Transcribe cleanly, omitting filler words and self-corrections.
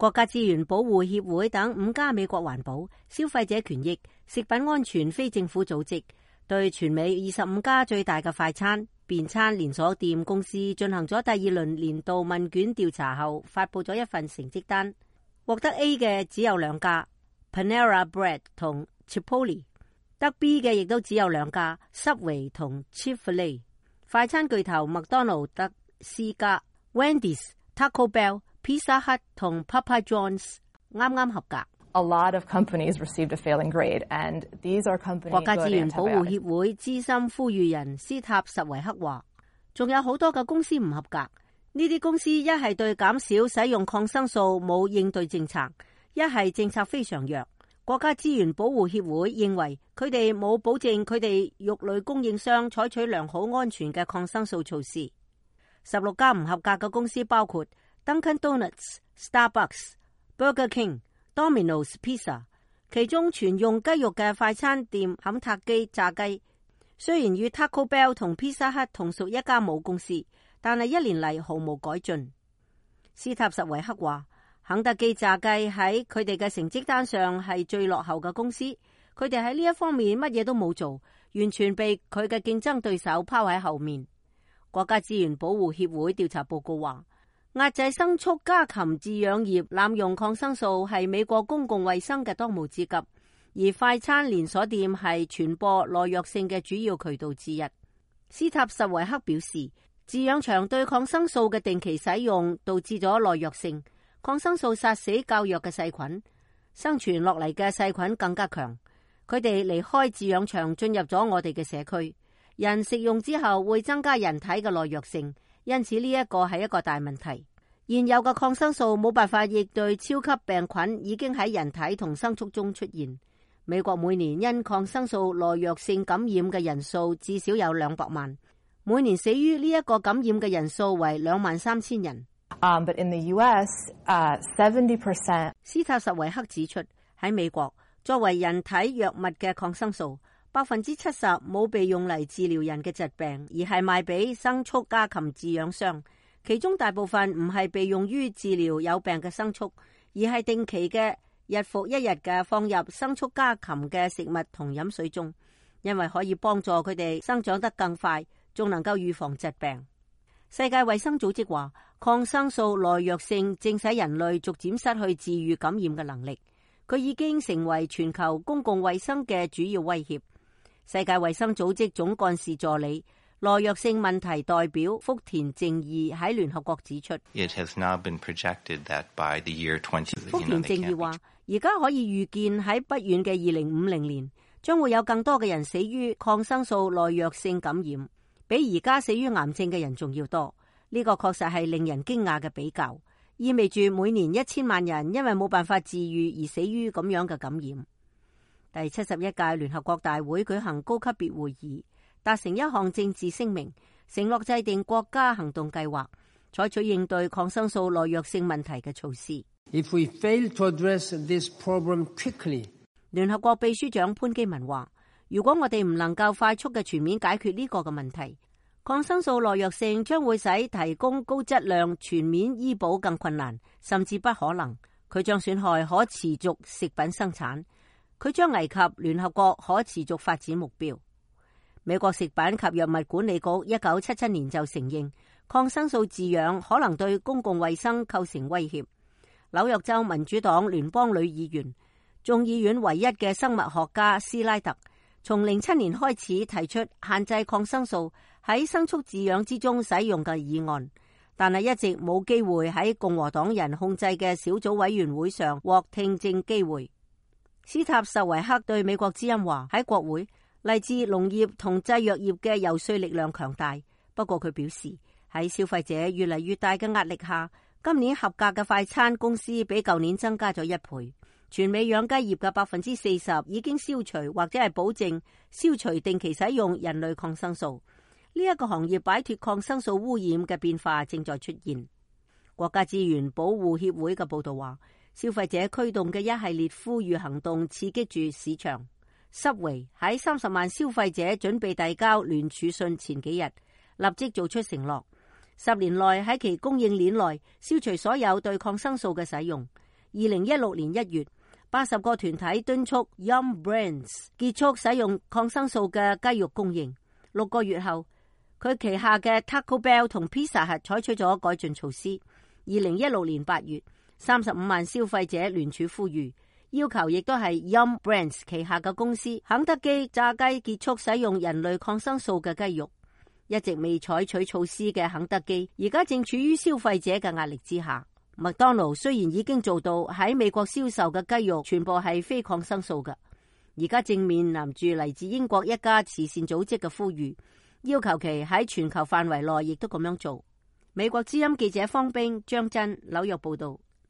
國家資源保護協會等5家美國環保、消費者權益、食品安全非政府組織對全美25家最大嘅快餐、便餐連鎖店公司進行咗第2輪年度問卷調查後，發佈咗一份成績單。獲得 A 嘅只有2家 Panera Bread 同 Chipotle， 得 B 嘅亦都只有2家 Subway 同 Chick-fil-A。 快餐巨頭麥當勞得 C 家 Wendy's、Taco Bell、Pizza Hut 同 Papa John's 啱啱合格。A lot of companies received a failing grade, and these are companies. 國家資源保護協會資深呼籲人斯塔什維克話，仲有好多嘅公司唔合格。呢啲公司一係對減少使用抗生素冇應對政策，一係政策非常弱。國家資源保護協會認為佢哋冇保證佢哋肉類供應商採取良好安全嘅抗生素措施。16家唔合格嘅公司包括 Dunkin' Donuts、Starbucks、Burger King、Domino's Pizza， 其中全用雞肉嘅快餐店肯塔基炸雞，雖然與 Taco Bell 同 Pizza Hut 同屬一家母公司，但係1年嚟毫無改進。斯塔什維克話，肯德基炸雞喺佢哋嘅成績單上係最落後嘅公司，佢哋喺呢一方面乜嘢都冇做，完全被佢嘅競爭對手拋喺後面。國家資源保護協會調查報告話，壓制牲畜家禽飼養業濫用抗生素係美國公共衛生嘅當務之急，而快餐連鎖店係傳播耐藥性嘅主要渠道之一。斯塔什維克表示，飼養場對抗生素嘅定期使用導致咗耐藥性，抗生素殺死較弱嘅細菌，生存落嚟嘅細菌更加強。佢哋離開飼養場進入咗我哋嘅社區，人食用之後會增加人體嘅耐藥性，因此呢一個係一個大問題。現有嘅抗生素冇辦法應對超級病菌已經喺人體同牲畜中出現。美國每年因抗生素耐藥性感染嘅人數至少有200萬，每年死於呢一個感染嘅人數為23,000人。But in the US, 70%. 斯塔什維克指出，喺美國作為人體藥物嘅抗生素，70%冇被用嚟治療人嘅疾病，而係賣俾牲畜家禽飼養商。其中大部分唔係被用於治療有病嘅牲畜，而係定期嘅日復一日嘅放入牲畜家禽嘅食物同飲水中，因為可以幫助佢哋生長得更快，仲能夠預防疾病。世界衛生組織話，抗生素耐藥性正使人類逐漸失去治癒感染嘅能力，佢已經成為全球公共衛生嘅主要威脅。世界衛生組織總幹事助理耐藥性問題代表福田正義喺聯合國指出，福田正義話，而家可以預見喺不遠嘅2050年，將會有更多嘅人死於抗生素耐藥性感染，比而家死於癌症嘅人仲要多。呢個確實係令人驚訝嘅比較，意味住每年1000萬人因為冇辦法治癒而死於咁樣嘅感染。第71屆聯合國大會舉行高級別會議，達成一項政治聲明，承諾制定國家行動計劃，採取應對抗生素耐藥性問題嘅措施。If we fail to address this problem quickly， 聯合國秘書長潘基文話，如果我哋唔能夠快速嘅全面解決呢個嘅問題，抗生素耐藥性將會使提供高質量全面醫保更困難，甚至不可能。佢將損害可持續食品生產，佢將危及聯合國可持續發展目標。美國食品及藥物管理局1977年就承認抗生素飼養可能對公共衛生構成威脅。紐約州民主黨聯邦女議員、眾議院唯一嘅生物學家斯拉特，從07年開始提出限制抗生素喺牲畜飼養之中使用嘅議案，但係一直冇機會喺共和黨人控制嘅小組委員會上獲聽證機會。斯塔什維克對美國之音話，喺國會嚟自農業同製藥業嘅游說力量強大，不過佢表示喺消費者越嚟越大嘅壓力下，今年合格嘅快餐公司比舊年增加咗1倍。全美養雞業嘅40%已經消除或者係保證消除定期使用人類抗生素。呢一個行業擺脫抗生素污染嘅變化正在出現。國家資源保護協會嘅報道話，消費者驅動嘅一系列呼籲行動刺激住市場。Subway 喺30萬消費者準備遞交聯署信前幾日，立即做出承諾，10年內喺其供應鏈內消除所有對抗生素嘅使用。2016年1月，80個團體敦促 Yum Brands 結束使用抗生素嘅雞肉供應。6個月後，佢旗下嘅 Taco Bell 同 Pizza Hut 採取咗改進措施。2016年8月，35萬消費者聯署呼籲，要求亦都係 Yum Brands 旗下嘅公司肯德基炸雞結束使用人類抗生素嘅雞肉。一直未採取措施嘅肯德基，而家正處於消費者嘅壓力之下。麥當勞雖然已經做到喺美國銷售嘅雞肉全部係非抗生素嘅，而家正面臨住嚟自英國一家慈善組織嘅呼籲，要求其喺全球範圍內亦都咁樣做。美國之音記者方冰、張真紐約報道。